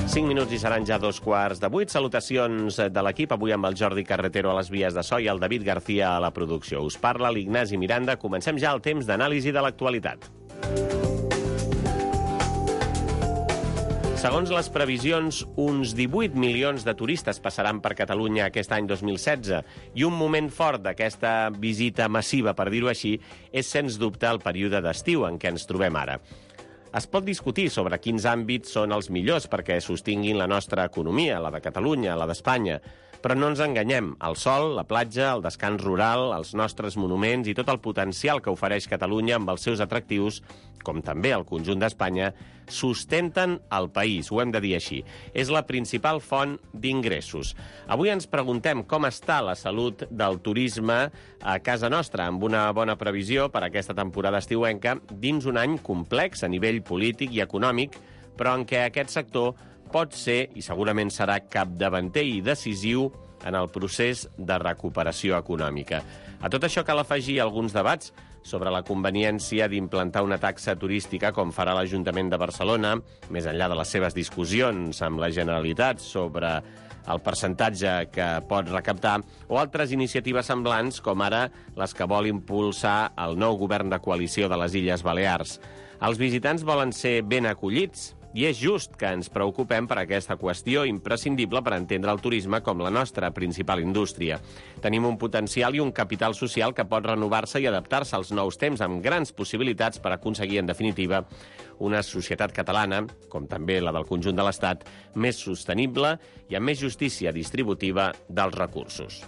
5 minuts i seran ja 7:15. Salutacions de l'equip, avui amb el Jordi Carretero a les vies de so i el David García a la producció. Us parla l'Ignasi Miranda. Comencem ja el temps d'anàlisi de l'actualitat. Segons les previsions, uns 18 milions de turistes passaran per Catalunya aquest any 2016 i un moment fort d'aquesta visita massiva, per dir-ho així, és sens dubte el període d'estiu en què ens trobem ara. Es pot discutir sobre quins àmbits són els millors perquè sostinguin la nostra economia, la de Catalunya, la d'Espanya. Però no ens enganyem, el sol, la platja, el descans rural, els nostres monuments i tot el potencial que ofereix Catalunya amb els seus atractius, com també el conjunt d'Espanya, sustenten el país, ho hem de dir així. És la principal font d'ingressos. Avui ens preguntem com està la salut del turisme a casa nostra, amb una bona previsió per a aquesta temporada estiuenca, dins un any complex a nivell polític i econòmic, però en què aquest sector pot ser, i segurament serà capdavanter i decisiu en el procés de recuperació econòmica. A tot això cal afegir alguns debats sobre la conveniència d'implantar una taxa turística com farà l'Ajuntament de Barcelona, més enllà de les seves discussions amb la Generalitat sobre el percentatge que pot recaptar, o altres iniciatives semblants, com ara les que vol impulsar el nou govern de coalició de les Illes Balears. Els visitants volen ser ben acollits, i és just que ens preocupem per aquesta qüestió imprescindible per entendre el turisme com la nostra principal indústria. Tenim un potencial i un capital social que pot renovar-se i adaptar-se als nous temps amb grans possibilitats per aconseguir, en definitiva, una societat catalana, com també la del conjunt de l'Estat, més sostenible i amb més justícia distributiva dels recursos.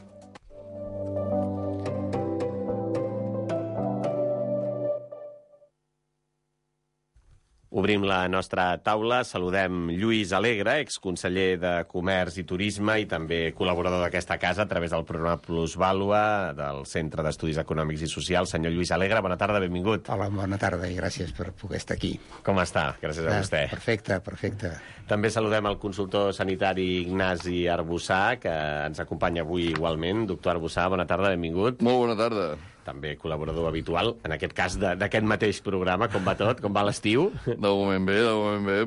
Obrim la nostra taula. Saludem Lluís Alegre, exconseller de Comerç i Turisme i també col·laborador d'aquesta casa a través del programa Plusvàlua del Centre d'Estudis Econòmics i Socials. Senyor Lluís Alegre, bona tarda, benvingut. Hola, bona tarda i gràcies per poder estar aquí. Com està? Gràcies a vostè. Perfecte. També saludem el consultor sanitari Ignasi Arbussà, que ens acompanya avui igualment. Doctor Arbussà, bona tarda, benvingut. Molt bona tarda. També col·laborador habitual, en aquest cas d'aquest mateix programa. Com va tot? Com va l'estiu? De moment bé,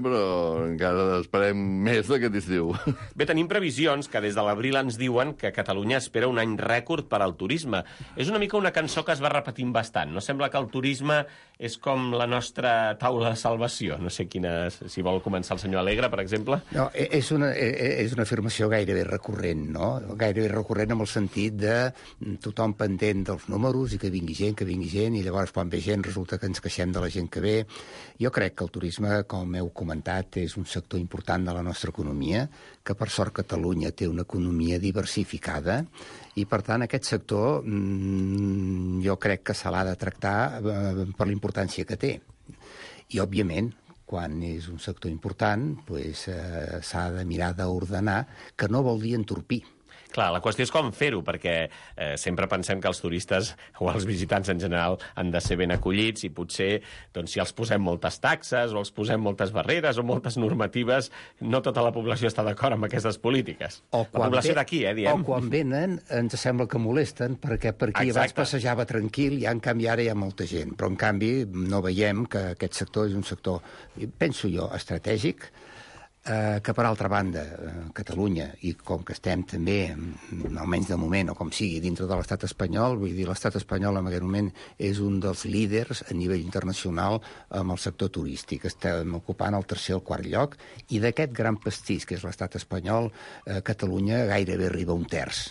però encara esperem més d'aquest estiu. Bé, tenim previsions que des de l'abril ens diuen que Catalunya espera un any rècord per al turisme. És una mica una cançó que es va repetint bastant. No sembla que el turisme és com la nostra taula de salvació. No sé si vol començar el senyor Alegre, per exemple. No, és una afirmació gairebé recurrent, no? Gairebé recurrent en el sentit de tothom pendent dels números i que vingui gent, i llavors quan ve gent resulta que ens queixem de la gent que ve. Jo crec que el turisme, com heu comentat, és un sector important de la nostra economia, que per sort Catalunya té una economia diversificada, i per tant aquest sector jo crec que se l'ha de tractar per la importància que té. I òbviament, quan és un sector important, s'ha de mirar d'ordenar, que no vol dir entorpir. Clar, la qüestió és com fer-ho, perquè sempre pensem que els turistes o els visitants en general han de ser ben acollits i potser, doncs, si els posem moltes taxes o els posem moltes barreres o moltes normatives, no tota la població està d'acord amb aquestes polítiques. La població d'aquí, diem. O quan venen ens sembla que molesten, perquè per aquí abans passejava tranquil i en canvi ara hi ha molta gent. Però en canvi no veiem que aquest sector és un sector, penso jo, estratègic, que per altra banda Catalunya, i com que estem també almenys de moment, o com sigui, dintre de l'estat espanyol, vull dir, l'estat espanyol en aquest moment és un dels líders a nivell internacional amb el sector turístic. Estem ocupant el tercer o el quart lloc, i d'aquest gran pastís que és l'estat espanyol, Catalunya gairebé arriba a un terç.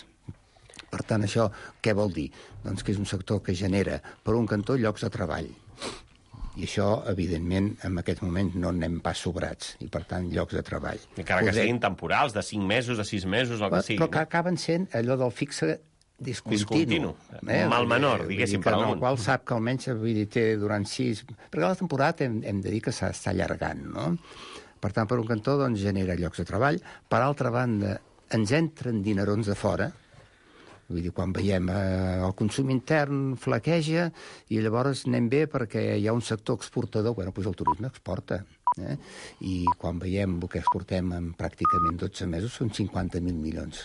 Per tant, això què vol dir? Doncs que és un sector que genera, per un cantó, llocs de treball. I això, evidentment, en aquest moment no anem pas sobrats, i per tant, llocs de treball. Encara que siguin temporals, de 5 mesos, de 6 mesos, el que sigui. Però que acaben sent allò del fixe discontinu. Mal menor, diguéssim, per alguns. El qual sap que almenys té durant 6... Perquè la temporada hem de dir que s'està allargant, no? Per tant, per un cantó, doncs, genera llocs de treball. Per altra banda, ens entren dinerons de fora. Vull dir, quan veiem el consum intern flaqueja i llavors anem bé perquè hi ha un sector exportador, el turisme exporta. I quan veiem el que exportem en pràcticament 12 mesos són 50.000 milions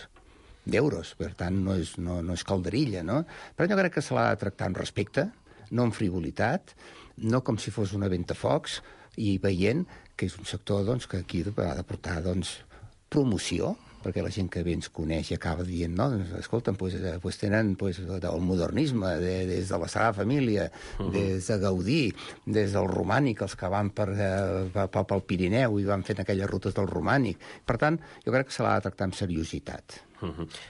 d'euros. Per tant, no és calderilla, no? Però jo crec que se l'ha de tractar amb respecte, no amb frivolitat, no com si fos una ventafocs, i veient que és un sector que aquí ha de portar promoció, perquè la gent que bé ens coneix i acaba dient, no, escolta'm, tenen el modernisme, des de la Sagrada Família, des de Gaudí, des del romànic, els que van pel Pirineu i van fent aquelles rutes del romànic. Per tant, jo crec que se l'ha de tractar amb seriositat.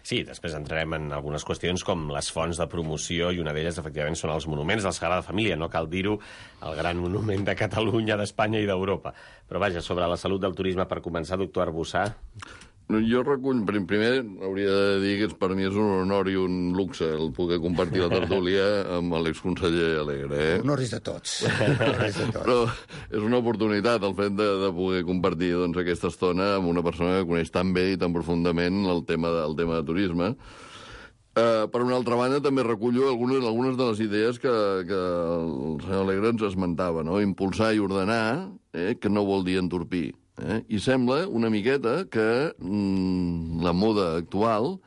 Sí, després entrarem en algunes qüestions com les fonts de promoció, i una d'elles, efectivament, són els monuments de la Sagrada Família. No cal dir-ho, el gran monument de Catalunya, d'Espanya i d'Europa. Però vaja, sobre la salut del turisme, per començar, doctor Arbussà. Jo recull, primer hauria de dir que per mi és un honor i un luxe el poder compartir la tertúlia amb l'exconseller Alegre. Honor és de tots. Però és una oportunitat el fet de poder compartir aquesta estona amb una persona que coneix tan bé i tan profundament el tema de turisme. Per una altra banda, també recullo algunes de les idees que el senyor Alegre ens esmentava, no? Impulsar i ordenar, que no vol dir entorpir. I sembla una miqueta que la moda actual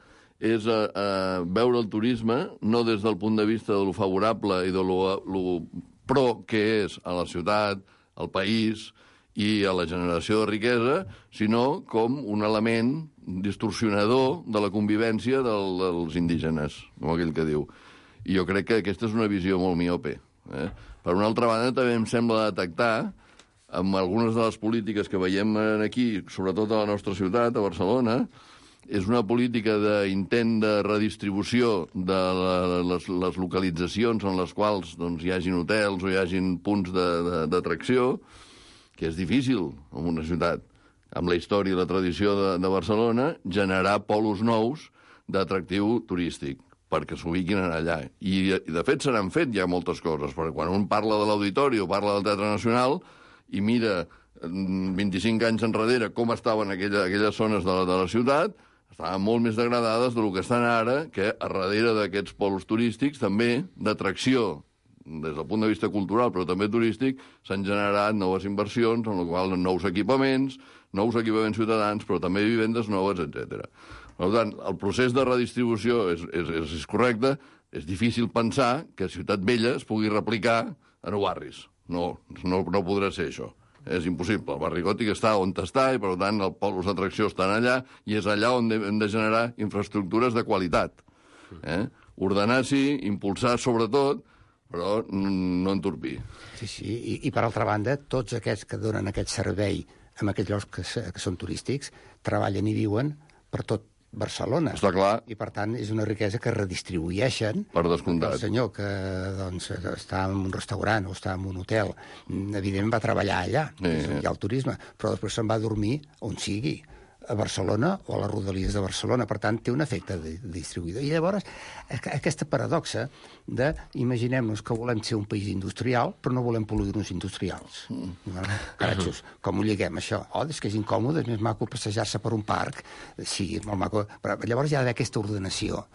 és veure el turisme no des del punt de vista de lo favorable i de lo pro que és a la ciutat, al país i a la generació de riquesa, sinó com un element distorsionador de la convivència dels indígenes, com aquell que diu. I jo crec que aquesta és una visió molt miope. Per una altra banda, també em sembla detectar amb algunes de les polítiques que veiem aquí, sobretot a la nostra ciutat, a Barcelona, és una política d'intent de redistribució de les localitzacions en les quals hi hagin hotels o hi hagin punts d'atracció, que és difícil en una ciutat, amb la història i la tradició de Barcelona, generar polos nous d'atractiu turístic perquè s'ubiquin allà. I, de fet, se n'han fet ja moltes coses, perquè quan un parla de l'Auditori o parla del Teatre Nacional i mira 25 anys enrere com estaven aquelles zones de la ciutat, estaven molt més degradades del que estan ara, que a darrere d'aquests polos turístics, també d'atracció, des del punt de vista cultural, però també turístic, s'han generat noves inversions, en la qual nous equipaments ciutadans, però també vivendes noves, etc. Per tant, el procés de redistribució és correcte, és difícil pensar que a Ciutat Vella es pugui replicar a nou barris. No podrà ser això. És impossible. El barri gòtic està on està i, per tant, els polos d'atracció estan allà i és allà on hem de generar infraestructures de qualitat. Ordenar sí, impulsar sobretot, però no entorpir. Sí, i per altra banda, tots aquests que donen aquest servei en aquells llocs que són turístics treballen i viuen per tot Barcelona. Està clar. I, per tant, és una riquesa que redistribueixen. Per descomptat. El senyor que està en un restaurant o està en un hotel, evidentment va treballar allà, hi ha el turisme, però després se'n va a dormir on sigui, a Barcelona o a les rodalies de Barcelona. Per tant, té un efecte distribuïdor. I llavors, aquesta paradoxa de, imaginem-nos que volem ser un país industrial, però no volem polígons industrials. Caratxos, com ho lliguem, això? És que és incòmode, és més maco passejar-se per un parc. Sí, és molt maco. Però llavors hi ha d'haver aquesta ordenació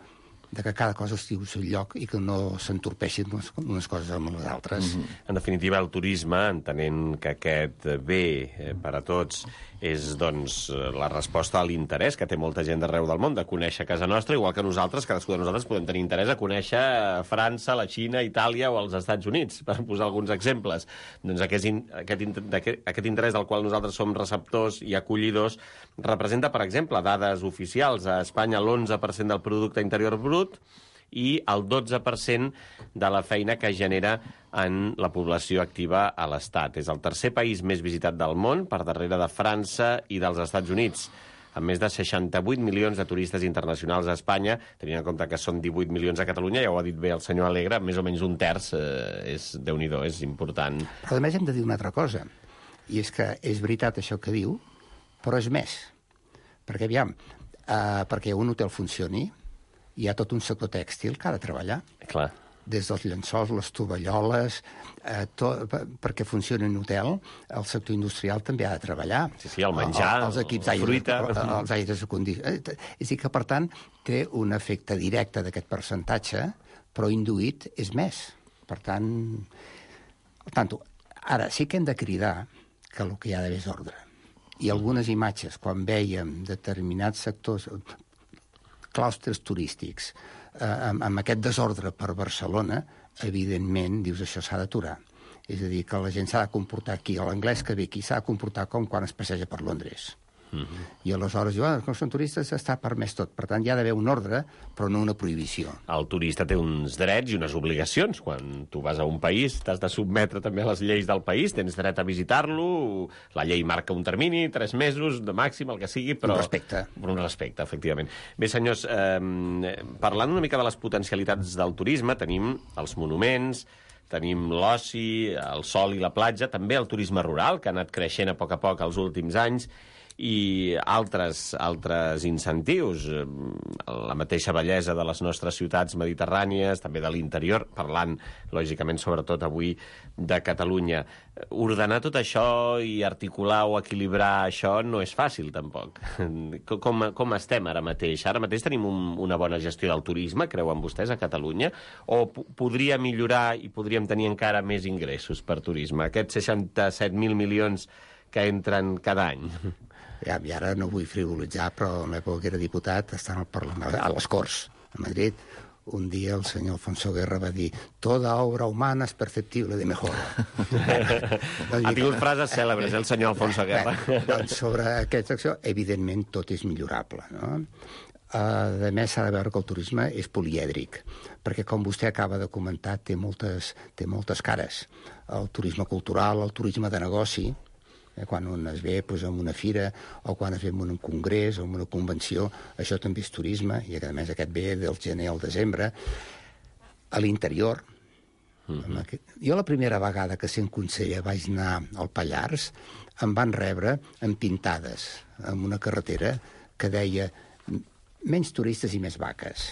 de que cada cosa estigui al seu lloc i que no s'entorpeixin unes coses amb les altres. En definitiva, el turisme, entenent que aquest bé per a tots és, doncs, la resposta a l'interès que té molta gent d'arreu del món de conèixer casa nostra, igual que nosaltres, cadascú de nosaltres podem tenir interès a conèixer França, la Xina, Itàlia o els Estats Units, per posar alguns exemples. Doncs aquest interès del qual nosaltres som receptors i acollidors representa, per exemple, dades oficials. A Espanya l'11% del producte interior brut i el 12% de la feina que genera en la població activa a l'Estat. És el tercer país més visitat del món, per darrere de França i dels Estats Units, amb més de 68 milions de turistes internacionals a Espanya, tenint en compte que són 18 milions a Catalunya, ja ho ha dit bé el senyor Alegre, més o menys un terç, és Déu-n'hi-do, és important. Però a més hem de dir una altra cosa, i és que és veritat això que diu, però és més. Perquè, aviam, perquè un hotel funcioni, hi ha tot un sector tèxtil que ha de treballar. Clar. Des dels llençols, les tovalloles, perquè funcioni un hotel, el sector industrial també ha de treballar. Sí, el menjar, els equips la fruita. Els aires acondicionats. És a dir que, per tant, té un efecte directe d'aquest percentatge, però induït és més. Per tant, ara sí que hem de cridar que el que hi ha d'haver és ordre. I algunes imatges, quan vèiem determinats sectors, claustres turístics, amb aquest desordre per Barcelona, evidentment, dius, això s'ha d'aturar. És a dir, que la gent s'ha de comportar aquí, l'anglès que ve aquí s'ha de comportar com quan es passeja per Londres. I aleshores diu, com són turistes està permès tot. Per tant, hi ha d'haver un ordre, però no una prohibició. El turista té uns drets i unes obligacions. Quan tu vas a un país, t'has de submetre també a les lleis del país, tens dret a visitar-lo, la llei marca un termini, 3 mesos, de màxim, el que sigui, però... Un respecte. Un respecte, efectivament. Bé, senyors, parlant una mica de les potencialitats del turisme, tenim els monuments, tenim l'oci, el sol i la platja, també el turisme rural, que ha anat creixent a poc els últims anys, i altres incentius, la mateixa bellesa de les nostres ciutats mediterrànies, també de l'interior, parlant, lògicament, sobretot avui de Catalunya. Ordenar tot això i articular o equilibrar això no és fàcil, tampoc. Com estem ara mateix? Ara mateix tenim una bona gestió del turisme, creuen vostès, a Catalunya? O podria millorar i podríem tenir encara més ingressos per turisme? Aquests 67.000 milions que entren cada any. I ara no vull frivolitzar, però en l'època que era diputat, estant al Parlament, a les Corts, a Madrid, un dia el senyor Alfonso Guerra va dir «Toda obra humana es perceptible de mejora». Ha tingut frases cèlebres, el senyor Alfonso Guerra. Doncs sobre aquesta acció, evidentment, tot és millorable, no? A més, s'ha de veure que el turisme és polièdric, perquè, com vostè acaba de comentar, té moltes cares. El turisme cultural, el turisme de negoci, quan un es ve en una fira o quan es ve en un congrés o en una convenció, això també és turisme, i a més aquest ve del gener al desembre. A l'interior, jo la primera vegada que sent conseller vaig anar al Pallars, em van rebre amb pintades en una carretera que deia menys turistes i més vaques.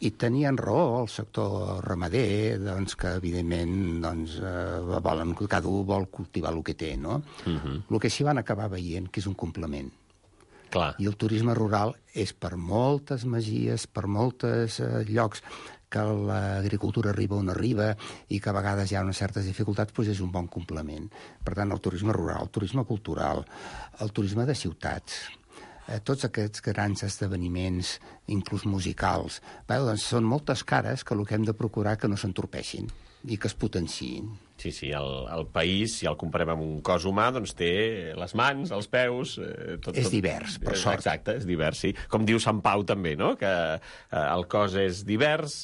I tenien raó el sector ramader, doncs, que evidentment cada un vol cultivar el que té, no? El que s'hi van acabar veient, que és un complement. Clar. I el turisme rural és per moltes masies, per molts llocs que l'agricultura arriba on arriba i que a vegades hi ha unes certes dificultats, doncs és un bon complement. Per tant, el turisme rural, el turisme cultural, el turisme de ciutats, tots aquests grans esdeveniments, inclús musicals, doncs són moltes cares que el que hem de procurar que no s'entorpeixin i que es potenciïn. Sí, el país, si el comparem amb un cos humà, doncs té les mans, els peus... És divers, per sort. Exacte, és divers, sí. Com diu Sant Pau també, no?, que el cos és divers,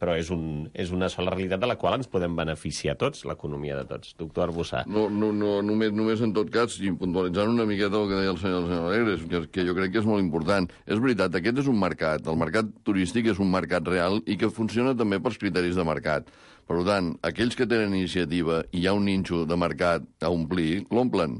però és una sola realitat de la qual ens podem beneficiar tots, l'economia de tots. Doctor Arbussà. No, només en tot cas, i puntualitzant una miqueta el que deia el senyor Alegres, que jo crec que és molt important. És veritat, aquest és un mercat. El mercat turístic és un mercat real i que funciona també pels criteris de mercat. Per tant, aquells que tenen iniciativa i hi ha un nínxol de mercat a omplir, l'omplen.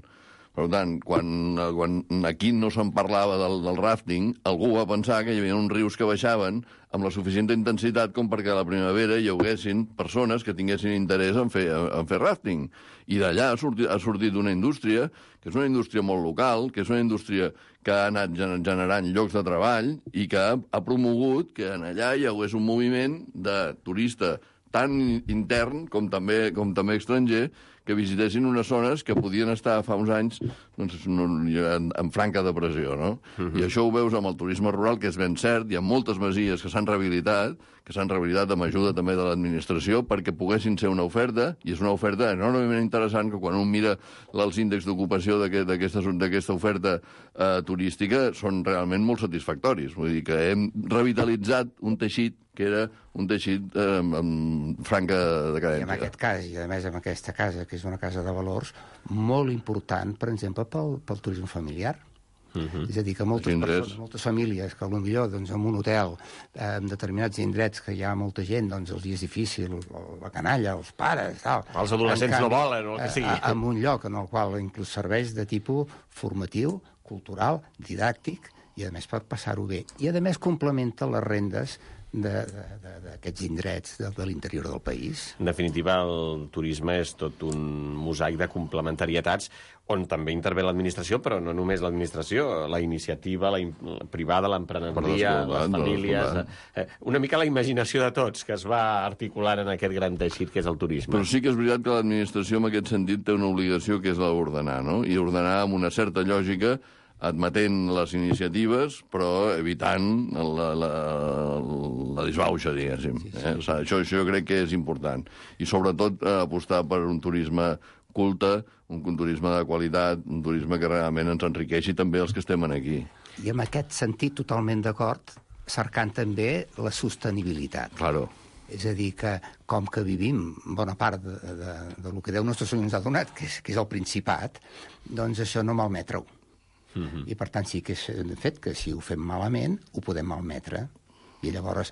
Per tant, quan aquí no se'n parlava del rafting, algú va pensar que hi havia uns rius que baixaven amb la suficient intensitat com perquè a la primavera hi haguessin persones que tinguessin interès en fer rafting. I d'allà ha sortit una indústria, que és una indústria molt local, que és una indústria que ha anat generant llocs de treball i que ha promogut que en allà hi hagués un moviment de turista tant intern com també estranger, que visitessin unes zones que podien estar fa uns anys en franca depressió, no? I això ho veus amb el turisme rural, que és ben cert, hi ha moltes masies que s'han rehabilitat amb ajuda també de l'administració perquè poguessin ser una oferta, i és una oferta enormement interessant que quan un mira els índexs d'ocupació d'aquesta oferta turística són realment molt satisfactoris. Vull dir que hem revitalitzat un teixit que era un teixit amb franca decadència. I en aquest cas, i a més amb aquesta casa, que és una casa de valors, molt important, per exemple, pel turisme familiar. És a dir, que moltes persones, moltes famílies, que potser doncs, en un hotel, en determinats indrets que hi ha molta gent, doncs els dies difícils, la canalla, els pares, tal. Els adolescents no volen, o el que sigui. En un lloc en el qual inclús serveix de tipus formatiu, cultural, didàctic, i a més per passar-ho bé. I a més complementa les rendes d'aquests indrets de l'interior del país. En definitiva, el turisme és tot un mosaic de complementarietats on també intervé l'administració, però no només l'administració, la iniciativa la privada, l'emprenedoria, les famílies... Una mica la imaginació de tots que es va articulant en aquest gran teixit que és el turisme. Però sí que és veritat que l'administració en aquest sentit té una obligació que és l'ordenar, no? I ordenar amb una certa lògica admetent les iniciatives, però evitant la disbauxa, diguéssim. Això jo crec que és important. I sobretot apostar per un turisme culte, un turisme de qualitat, un turisme que realment ens enriqueixi també els que estem aquí. I en aquest sentit, totalment d'acord, cercant també la sostenibilitat. Claro. És a dir, que com que vivim bona part del que Déu nostre Senyor ens ha donat, que és el Principat, doncs això no malmetre-ho. I per tant sí que és un fet que si ho fem malament ho podem malmetre. I llavors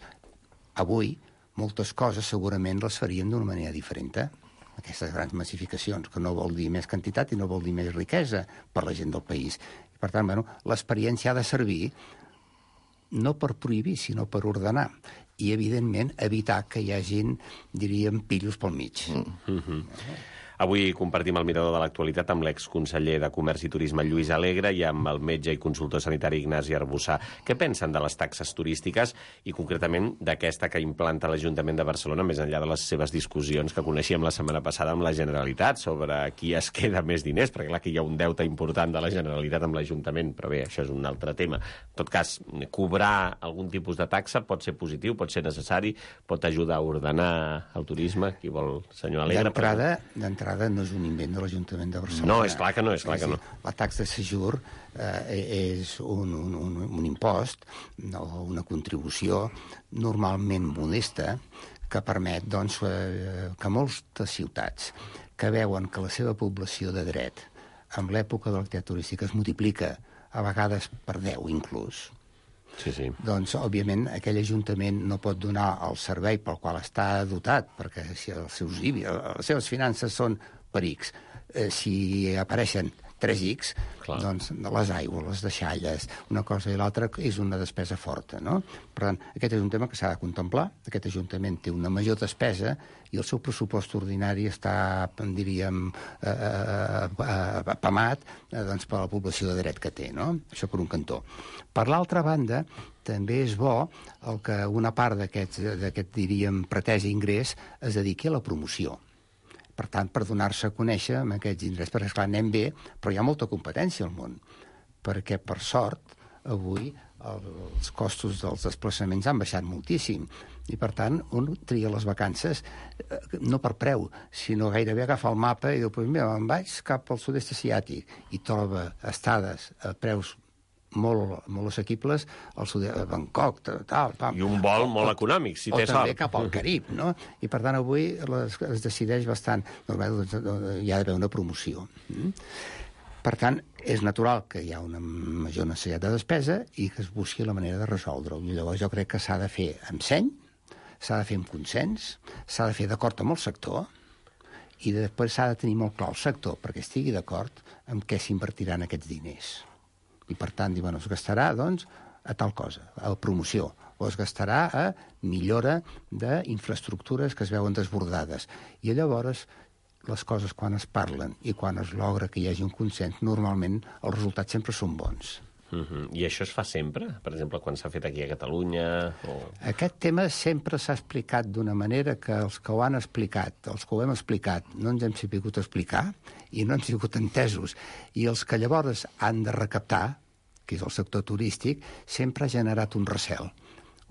avui moltes coses segurament les faríem d'una manera diferent. Aquestes grans massificacions, que no vol dir més quantitat i no vol dir més riquesa per la gent del país. I per tant, l'experiència ha de servir no per prohibir, sinó per ordenar. I, evidentment, evitar que hi hagin, diríem, pillos pel mig. Avui compartim el mirador de l'actualitat amb l'exconseller de Comerç i Turisme Lluís Alegre i amb el metge i consultor sanitari Ignasi Arbussà. Què pensen de les taxes turístiques i concretament d'aquesta que implanta l'Ajuntament de Barcelona, més enllà de les seves discussions que coneixíem la setmana passada amb la Generalitat sobre qui es queda més diners, perquè clar que hi ha un deute important de la Generalitat amb l'Ajuntament, però bé, això és un altre tema. En tot cas, cobrar algun tipus de taxa pot ser positiu, pot ser necessari, pot ajudar a ordenar el turisme. Qui vol, senyor Alegre? D'entrada no és un invent de l'Ajuntament de Barcelona. No, és clar que no, és clar que no. La taxa de séjour és un impost o una contribució normalment modesta que permet doncs, que moltes ciutats que veuen que la seva població de dret en l'època de l'activitat turística es multiplica a vegades per 10 inclús, Sí. doncs, òbviament, aquell ajuntament no pot donar el servei pel qual està dotat, perquè si els seus IBI, les seves finances són per X. Si apareixen 3X, doncs les aigües, les deixalles, una cosa i l'altra és una despesa forta, no? Per tant, aquest és un tema que s'ha de contemplar. Aquest ajuntament té una major despesa i el seu pressupost ordinari està, diríem, apamat doncs, per la població de dret que té, no? Això per un cantó. Per l'altra banda, també és bo que una part d'aquest, diríem, pretès ingrés es dediqui a la promoció. Per tant, per donar-se a conèixer amb aquests indrets. Perquè, esclar, anem bé, però hi ha molta competència al món. Perquè, per sort, avui els costos dels desplaçaments han baixat moltíssim. I, per tant, un tria les vacances no per preu, sinó gairebé agafa el mapa i diu, pues mira, me'n vaig cap al sud-est asiàtic i troba estades a preus molt assequibles al sud, a Bangkok, tal. I un vol molt econòmic, si té sort. O també cap al Carib, no? I, per tant, avui es decideix bastant. Doncs, hi ha d'haver una promoció. Per tant, és natural que hi ha una major necessitat de despesa i que es busqui la manera de resoldre-ho. I llavors jo crec que s'ha de fer amb seny, s'ha de fer amb consens, s'ha de fer d'acord amb el sector i després s'ha de tenir molt clar el sector perquè estigui d'acord amb què s'invertiran aquests diners. I, per tant, bueno, es gastarà, doncs, a tal cosa, a promoció, o es gastarà a millora d'infraestructures que es veuen desbordades. I llavors, les coses, quan es parlen i quan es logra que hi hagi un consens, normalment els resultats sempre són bons. I això es fa sempre? Per exemple, quan s'ha fet aquí a Catalunya? Aquest tema sempre s'ha explicat d'una manera que els que ho han explicat, els que ho hem explicat, no ens hem sabut explicar i no hem sigut entesos. I els que llavors han de recaptar, que és el sector turístic, sempre ha generat un recel.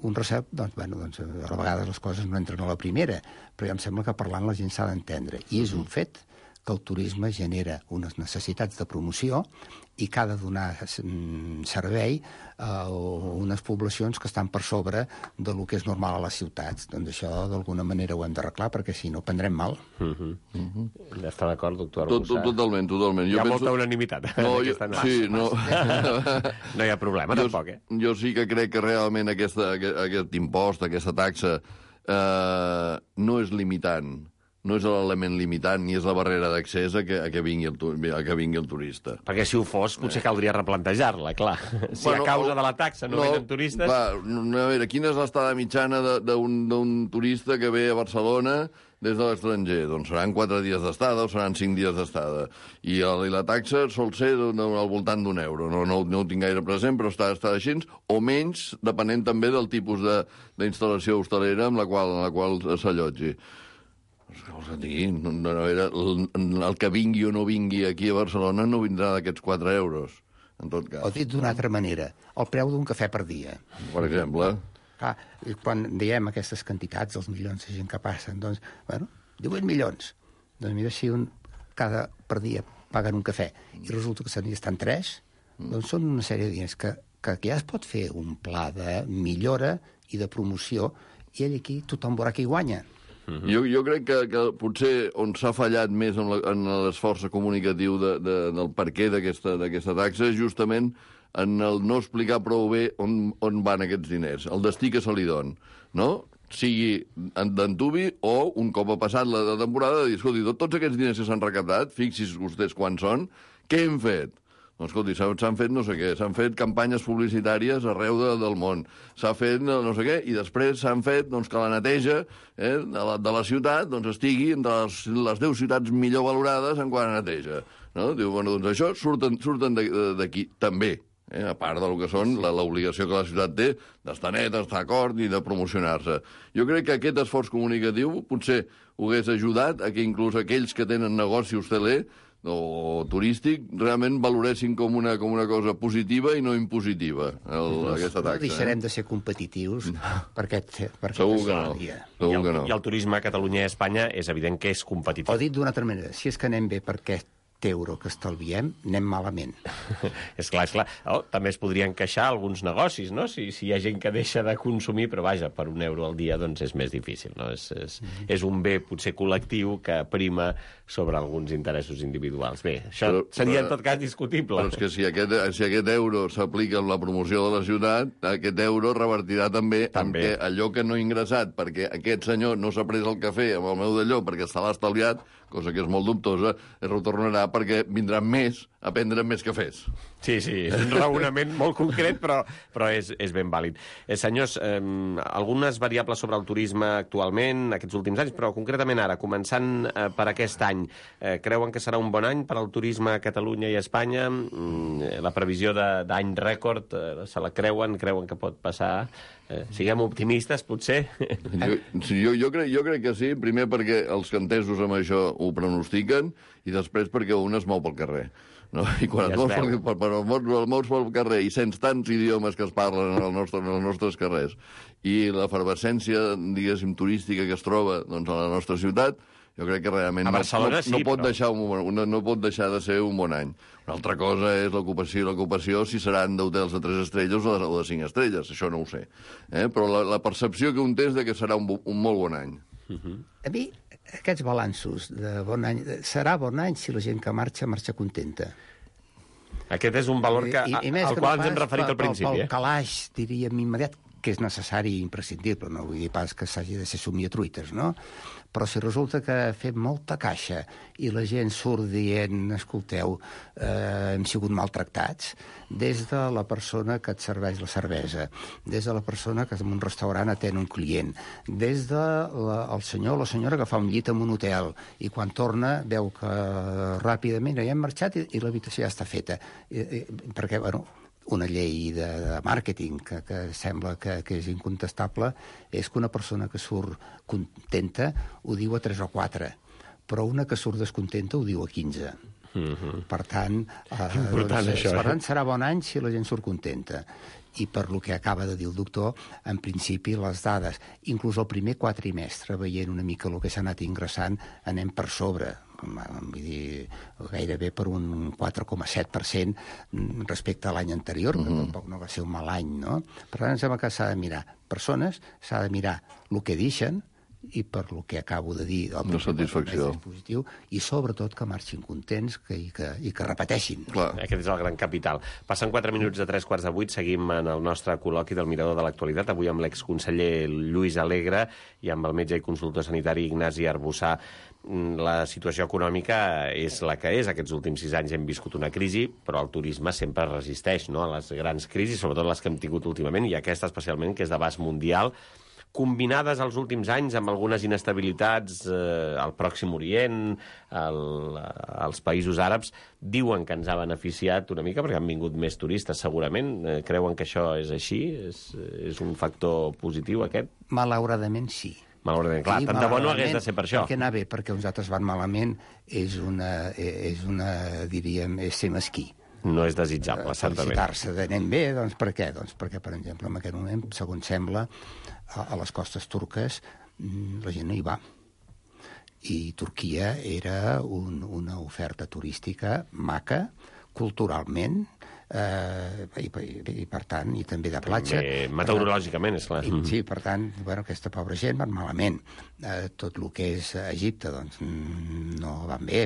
Un recel, doncs, a vegades les coses no entren a la primera, però ja em sembla que parlant la gent s'ha d'entendre. I és un fet que el turisme genera unes necessitats de promoció i que ha de donar servei a unes poblacions que estan per sobre del que és normal a les ciutats. Doncs això d'alguna manera ho hem d'arreglar perquè si no prendrem mal. Està d'acord, doctor Arbussà? Totalment. Hi ha molta unanimitat. Sí, no. No hi ha problema, tampoc, Jo sí que crec que realment aquest impost, aquesta taxa, no és limitant. No és l'element limitant ni és la barrera d'accés a que vingui el turista. Perquè si ho fos, potser caldria replantejar-la, clar. Si a causa de la taxa no venen turistes... A veure, quina és l'estada mitjana d'un turista que ve a Barcelona des de l'estranger? Doncs seran 4 dies d'estada o seran 5 dies d'estada. I la taxa sol ser al voltant d'€1. No ho tinc gaire present, però està així, o menys, depenent també del tipus d'instal·lació hostalera amb la qual s'allotgi. El que vingui o no vingui aquí a Barcelona no vindrà d'aquests €4. en tot cas. O dit d'una altra manera, el preu d'un cafè per dia. Per exemple. Clar, quan diem aquestes quantitats, els milions de gent que passen, doncs, bueno, 18 milions. Doncs mira, si cada per dia paguen un cafè i resulta que se n'hi estan 3, doncs són una sèrie de diners que ja es pot fer un pla de millora i de promoció, i ell aquí tothom veurà qui guanya. Jo crec que potser on s'ha fallat més en l'esforç comunicatiu del perquè d'aquesta taxa és justament en el no explicar prou bé on van aquests diners, el destí que se li don, no? Sigui d'antubi o, un cop ha passat la temporada, de dir, escolti, tots aquests diners que s'han recaptat, fixis vostès quants són, què hem fet? Doncs, escolti, s'han fet no sé què, s'han fet campanyes publicitàries arreu del món, s'ha fet no sé què, i després s'han fet que la neteja de la ciutat estigui entre les 10 ciutats millor valorades en quant a neteja. No? Diu, bueno, doncs això surten d'aquí també, a part del que són l'obligació que la ciutat té d'estar net, d'estar acord i de promocionar-se. Jo crec que aquest esforç comunicatiu potser ho hagués ajudat a que inclús aquells que tenen negoci hosteler o turístic realment valoressin com una cosa positiva i no impositiva, aquesta taxa. No deixarem de ser competitius per aquest Segur que no. Segur que no. I el turisme a Catalunya i a Espanya és evident que és competitiu. O dit d'una altra manera, si és que anem bé per aquest euro que estalviem, anem malament. És clar. També es podrien queixar alguns negocis, no? Si hi ha gent que deixa de consumir, però vaja, per €1 al dia doncs és més difícil, no? És un bé potser col·lectiu que prima sobre alguns interessos individuals. Bé, això seria en tot cas discutible. Però és que si aquest euro s'aplica en la promoció de la ciutat, aquest euro revertirà també en que allò que no ha ingressat perquè aquest senyor no s'ha pres el cafè amb el meu d'allò perquè se l'ha estalviat, cosa que és molt dubtosa, es retornarà perquè vindran més a prendre més cafès. Sí, és un raonament molt concret, però és ben vàlid. Senyors, algunes variables sobre el turisme actualment, aquests últims anys, però concretament ara, començant per aquest any, creuen que serà un bon any per al turisme a Catalunya i a Espanya? La previsió d'any rècord, se la creuen que pot passar? Siguem optimistes, potser? Jo crec que sí, primer perquè els cantesos amb això ho pronostiquen i després perquè un es mou pel carrer. No? I quan et mous pel carrer i sents tants idiomes que es parlen en els nostres carrers i l'efervescència, diguéssim, turística que es troba a la nostra ciutat, jo crec que realment no pot deixar de ser un bon any. Una altra cosa és l'ocupació, si seran d'hotels de 3 estrelles o de 5 estrelles, això no ho sé. Però la percepció que un té és que serà un molt bon any. A mi, aquests balanços de bon any, serà bon any si la gent que marxa contenta. Aquest és un valor al qual ens hem referit al principi. Pel calaix, diríem, immediat, que és necessari i imprescindible, no vull dir pas que s'hagi de ser somiatruites, no? Però si resulta que fem molta caixa i la gent surt dient, escolteu, hem sigut maltractats, des de la persona que et serveix la cervesa, des de la persona que en un restaurant atén un client, des del senyor o la senyora que fa un llit en un hotel i quan torna veu que ràpidament ja hem marxat i l'habitació ja està feta. Perquè, bueno, una llei de màrqueting que sembla que és incontestable és que una persona que surt contenta ho diu a 3 o 4, però una que surt descontenta ho diu a 15. Per tant, serà bon any si la gent surt contenta. I per lo que acaba de dir el doctor, en principi les dades, inclús el primer quatrimestre, veient una mica el que s'ha anat ingressant, anem per sobre. Vull dir, gairebé per un 4,7% respecte a l'any anterior, que tampoc no va ser un mal any, no? Per tant, em sembla que s'ha de mirar persones, s'ha de mirar el que deixen, i per lo que acabo de dir, la satisfacció positiu, i sobretot que marxin contents i que repeteixin. Clar. Aquest és el gran capital. Passen 4 minuts de 7:45, seguim en el nostre col·loqui del Mirador de l'Actualitat, avui amb l'exconseller Lluís Alegre i amb el metge i consultor sanitari Ignasi Arbussà. La situació econòmica és la que és. Aquests últims 6 anys hem viscut una crisi, però el turisme sempre resisteix, no?, a les grans crisis, sobretot les que hem tingut últimament, i aquesta especialment, que és d'abast mundial, combinades els últims anys amb algunes inestabilitats al Pròxim Orient, als països àrabs, diuen que ens ha beneficiat una mica perquè han vingut més turistes, segurament. Creuen que això és així? És un factor positiu, aquest? Malauradament, sí. Malauradament, clar, tant de bo no hagués de ser per això. Perquè anar bé perquè uns altres van malament és ser mesquí. No és desitjable, certament. Felicitar-se d'anem bé, doncs per què? Doncs perquè, per exemple, en aquest moment, segons sembla, a les costes turques la gent no hi va. I Turquia era una oferta turística maca, culturalment, i per tant, i també de platja. Meteorològicament, és clar. Sí, per tant, aquesta pobra gent van malament. Tot el que és Egipte, doncs, no van bé.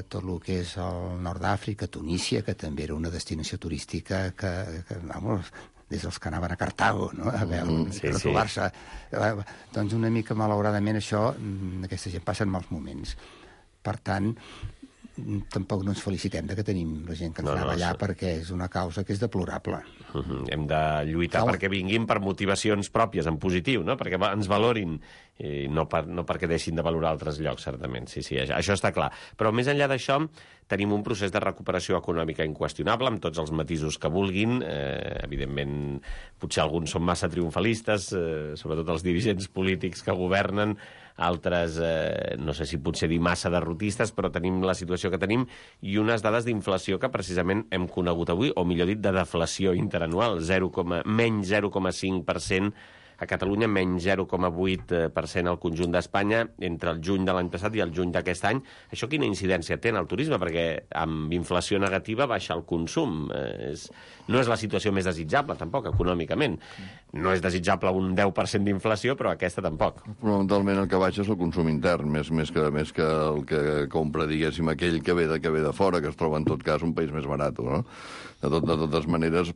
Tot el que és el nord d'Àfrica, Tunísia, que també era una destinació turística que vamos, des dels que anaven a Cartago, no? A veure, per trobar-se. Doncs una mica, malauradament, això, aquesta gent passa en mals moments. Per tant, tampoc no ens felicitem que tenim la gent que ens anava allà, perquè és una causa que és deplorable. Hem de lluitar perquè vinguin per motivacions pròpies, en positiu, no? Perquè ens valorin, i no perquè deixin de valorar altres llocs, certament. Sí, això està clar. Però més enllà d'això, tenim un procés de recuperació econòmica inqüestionable, amb tots els matisos que vulguin. Evidentment, potser alguns són massa triomfalistes, sobretot els dirigents polítics que governen, altres, no sé si potser dir massa derrotistes, però tenim la situació que tenim i unes dades d'inflació que precisament hem conegut avui, o millor dit, de deflació interanual, menys 0,5% a Catalunya, menys 0,8% al conjunt d'Espanya entre el juny de l'any passat i el juny d'aquest any. Això quina incidència té en el turisme? Perquè amb inflació negativa baixa el consum. No és la situació més desitjable, tampoc, econòmicament. No és desitjable un 10% d'inflació, però aquesta tampoc. Fonamentalment el que baixa és el consum intern, més que el que compra, diguéssim, aquell que ve de fora, que es troba en tot cas un país més barat, no? De totes maneres,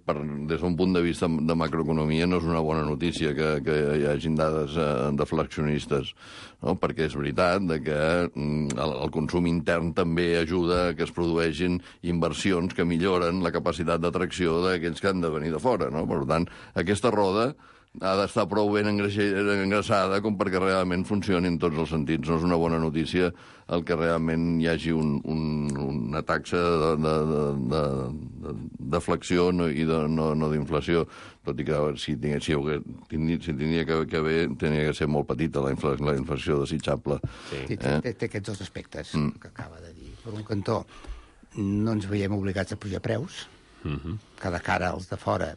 des d'un punt de vista de macroeconomia, no és una bona notícia que hi hagin dades deflacionistes, no? Perquè és veritat que el consum intern també ajuda que es produeixin inversions que milloren la capacitat d'atracció d'aquells que han de venir de fora, no? Per tant, aquesta roda ha d'estar prou ben engraçada com perquè realment funcioni en tots els sentits. No és una bona notícia el que realment hi hagi una taxa de deflació i no d'inflació, tot i que si tindria que haver, tenia que ser molt petita la inflació desitjable. Sí, té aquests dos aspectes que acaba de dir. Per un cantó, no ens veiem obligats a pujar preus, que de cara als de fora.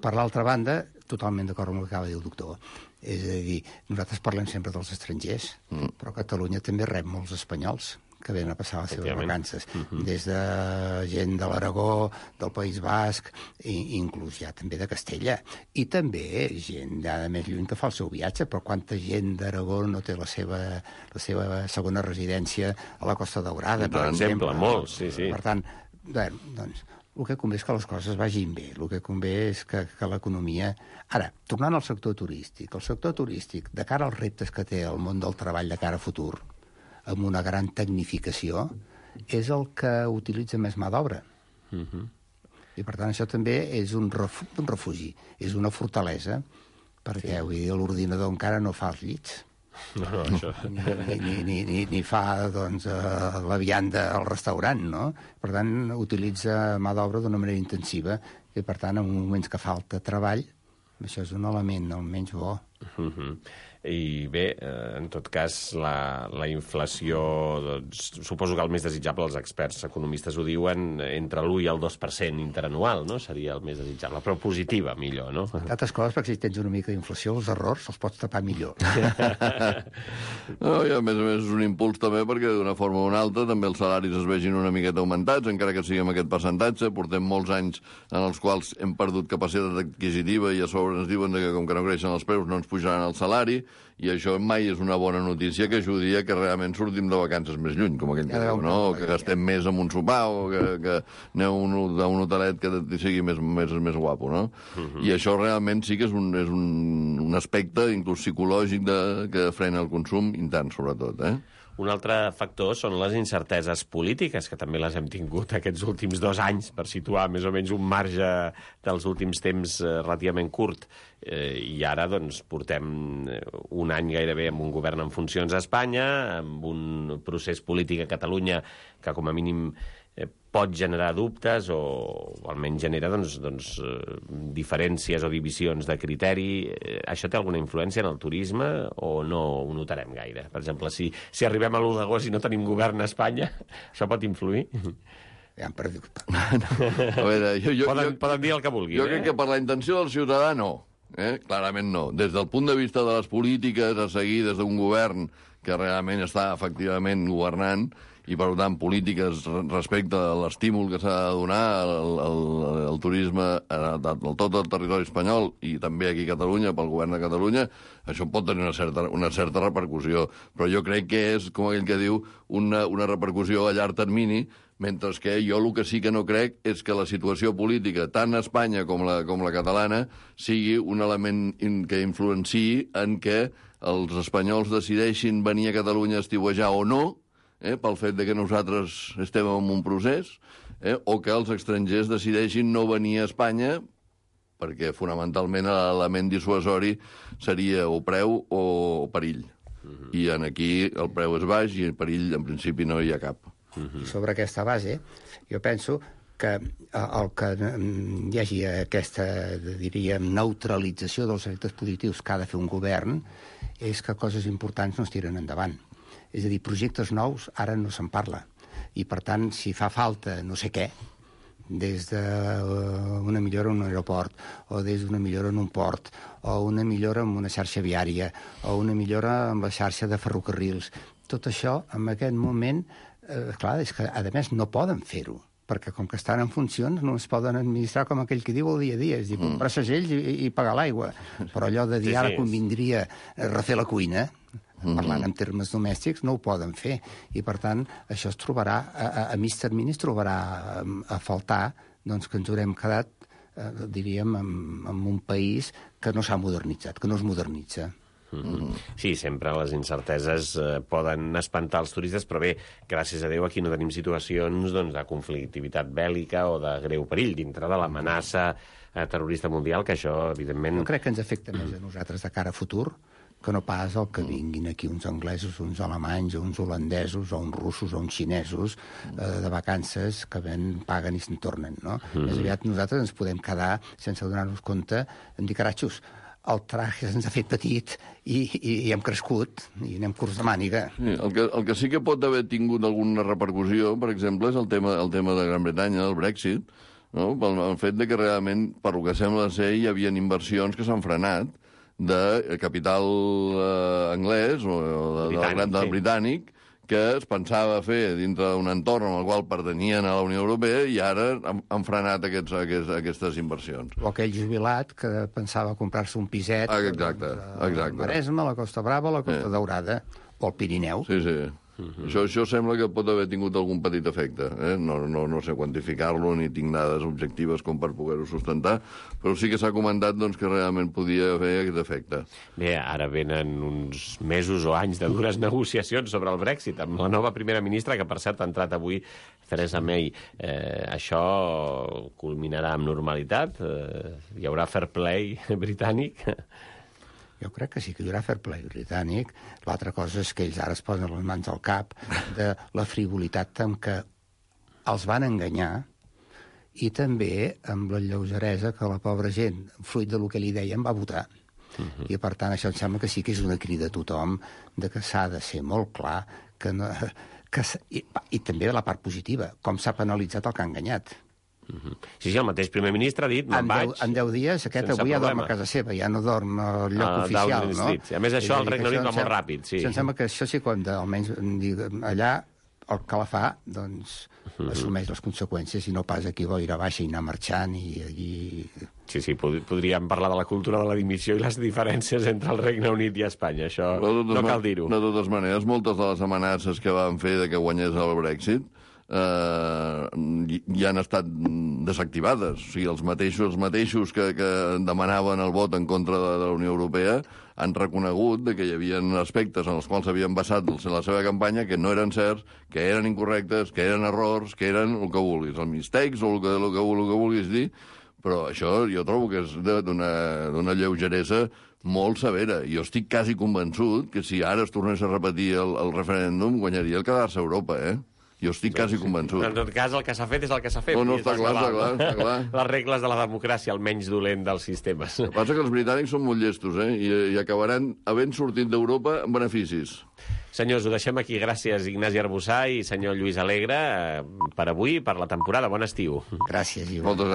Per l'altra banda, totalment d'acord amb el que acaba de dir el doctor. És a dir, nosaltres parlem sempre dels estrangers, però Catalunya també rep molts espanyols que venen a passar les seves vacances. Des de gent de l'Aragó, del País Basc, i inclús ja també de Castella. I també gent de més lluny que fa el seu viatge, però quanta gent d'Aragó no té la seva segona residència a la Costa Daurada, per exemple. Molts, sí. Per tant, doncs, el que convé és que les coses vagin bé, el que convé és que l'economia... Ara, tornant al sector turístic, el sector turístic, de cara als reptes que té el món del treball de cara a futur, amb una gran tecnificació, és el que utilitza més mà d'obra. I, per tant, això també és un refugi, és una fortalesa, perquè l'ordinador encara no fa els llits. No, això... ni fa, doncs, la vianda al restaurant, no? Per tant, utilitza mà d'obra d'una manera intensiva i, per tant, en moments que falta treball, això és un element almenys bo. I bé, en tot cas, la inflació, doncs, suposo que el més desitjable, els experts economistes ho diuen, entre l'1 i el 2% interanual, no? Seria el més desitjable, però positiva, millor, no? D'altres coses, perquè si tens una mica d'inflació, els errors els pots tapar millor. No, i a més és un impuls també perquè d'una forma o una altra també els salaris es vegin una miqueta augmentats, encara que sigui amb aquest percentatge. Portem molts anys en els quals hem perdut capacitat adquisitiva i a sobre ens diuen que com que no creixen els preus no ens pujaran el salari, i això mai és una bona notícia que ajudi a que realment sortim de vacances més lluny, com aquell que diu, no? O que gastem més en un sopar, o que aneu a un hotelet que sigui més guapo, no? I això realment sí que és un aspecte, inclús psicològic, que frena el consum intern, sobretot, Un altre factor són les incerteses polítiques, que també les hem tingut aquests últims 2 anys, per situar més o menys un marge dels últims temps relativament curt. I ara doncs, portem un any gairebé amb un govern en funcions a Espanya, amb un procés polític a Catalunya que com a mínim pot generar dubtes o almenys genera diferències o divisions de criteri. Això té alguna influència en el turisme o no ho notarem gaire? Per exemple, si arribem a l'1 d'agost i no tenim govern a Espanya, això pot influir? Ja han perdut. A veure, poden dir el que vulguin. Jo crec que per la intenció del ciutadà no. Clarament no. Des del punt de vista de les polítiques a seguir des d'un govern que realment està efectivament governant i, per tant, polítiques respecte a l'estímul que s'ha de donar al turisme a tot el territori espanyol i també aquí a Catalunya, pel govern de Catalunya, això pot tenir una certa repercussió. Però jo crec que és, com aquell que diu, una repercussió a llarg termini, mentre que jo el que sí que no crec és que la situació política, tant a Espanya com la catalana, sigui un element que influenciï en què els espanyols decideixin venir a Catalunya a estiuejar o no, pel fet de que nosaltres estem en un procés, o que els estrangers decideixin no venir a Espanya, perquè fonamentalment l'element dissuasori seria o preu o perill. I aquí el preu és baix i el perill en principi no hi ha cap. Sobre aquesta base, jo penso que el que hi hagi aquesta, diríem, neutralització dels efectes positius que ha de fer un govern és que coses importants no es tiren endavant. És a dir, projectes nous ara no se'n parla. I, per tant, si fa falta no sé què, des d'una millora en un aeroport, o des d'una millora en un port, o una millora en una xarxa viària, o una millora en la xarxa de ferrocarrils, tot això, en aquest moment, clar, és que, a més, no poden fer-ho, perquè com que estan en funcions no es poden administrar com aquell que diu el dia a dia, és dir, comprar segells i pagar l'aigua. Però allò de dir ara convindria refer la cuina, parlant en termes domèstics, no ho poden fer. I, per tant, això es trobarà, a mig termini es trobarà a faltar doncs, que ens haurem quedat, diríem, en un país que no s'ha modernitzat, que no es modernitza. Sí, sempre les incerteses poden espantar els turistes, però bé, gràcies a Déu aquí no tenim situacions de conflictivitat bèl·lica o de greu perill dintre de l'amenaça terrorista mundial, que això, evidentment... Jo crec que ens afecta més a nosaltres de cara a futur que no pas el que vinguin aquí uns anglesos, uns alemanys, uns holandesos, o uns russos, o uns xinesos de vacances que paguen i se'n tornen, no? Més aviat nosaltres ens podem quedar, sense donar-nos compte, en dir, caratxos, el traje se'ns ha fet petit i hem crescut i anem curts de màniga. Sí, el que sí que pot haver tingut alguna repercussió, per exemple, és el tema de Gran Bretanya, el Brexit, no? El fet de que realment, per lo que sembla ser, hi havia inversions que s'han frenat de capital anglès o del britànic, que es pensava fer dintre d'un entorn en el qual pertanyien a la Unió Europea i ara han frenat aquestes inversions. O aquell jubilat que pensava comprar-se un piset exacte. al Maresme, a la Costa Brava, a la Costa Daurada, o al Pirineu. Sí. Això sembla que pot haver tingut algun petit efecte. No sé quantificar-lo, ni tinc dades objectives com per poder-ho sustentar, però sí que s'ha comentat que realment podia haver aquest efecte. Bé, ara venen uns mesos o anys de dures negociacions sobre el Brexit amb la nova primera ministra, que per cert ha entrat avui, Theresa May. Això culminarà amb normalitat? Hi haurà fair play britànic? Jo crec que sí que hi haurà fair play britànic. L'altra cosa és que ells ara es posen les mans al cap de la frivolitat amb què els van enganyar i també amb la lleugeresa que la pobra gent, fruit del que li deien, va votar. I, per tant, això em sembla que sí que és una crida a tothom de que s'ha de ser molt clar que no, i també de la part positiva, com s'ha penalitzat el que ha enganyat. Sí, el mateix primer ministre ha dit, me'n vaig. En 10 dies, aquest avui ja dorm a casa seva, ja no dorm al lloc oficial, no? A més, això al Regne Unit va molt ràpid, sí. Em sembla que això sí, quan almenys allà el que la fa, doncs, assumeix les conseqüències i no pas aquí boira baixa i anar marxant i allí... Sí, podríem parlar de la cultura de la dimissió i les diferències entre el Regne Unit i Espanya, això no cal dir-ho. De totes maneres, moltes de les amenaces que van fer de que guanyés el Brexit ja han estat desactivades. O sigui, els mateixos que demanaven el vot en contra de la Unió Europea han reconegut que hi havia aspectes en els quals havien basat la seva campanya que no eren certs, que eren incorrectes, que eren errors, que eren el que vulguis, els mistakes o el que vulguis dir, però això jo trobo que és d'una lleugeresa molt severa. Jo estic quasi convençut que si ara es tornés a repetir el referèndum guanyaria el quedar-se a Europa, Jo estic quasi convençut. En tot cas, el que s'ha fet és el que s'ha fet. No, està clar. Les regles de la democràcia, el menys dolent dels sistemes. El que passa que els britànics són molt llestos, i acabaran havent sortit d'Europa amb beneficis. Senyors, ho deixem aquí. Gràcies, Ignasi Arbussà i senyor Lluís Alegre, per avui i per la temporada. Bon estiu. Gràcies, Ivo. Moltes gràcies.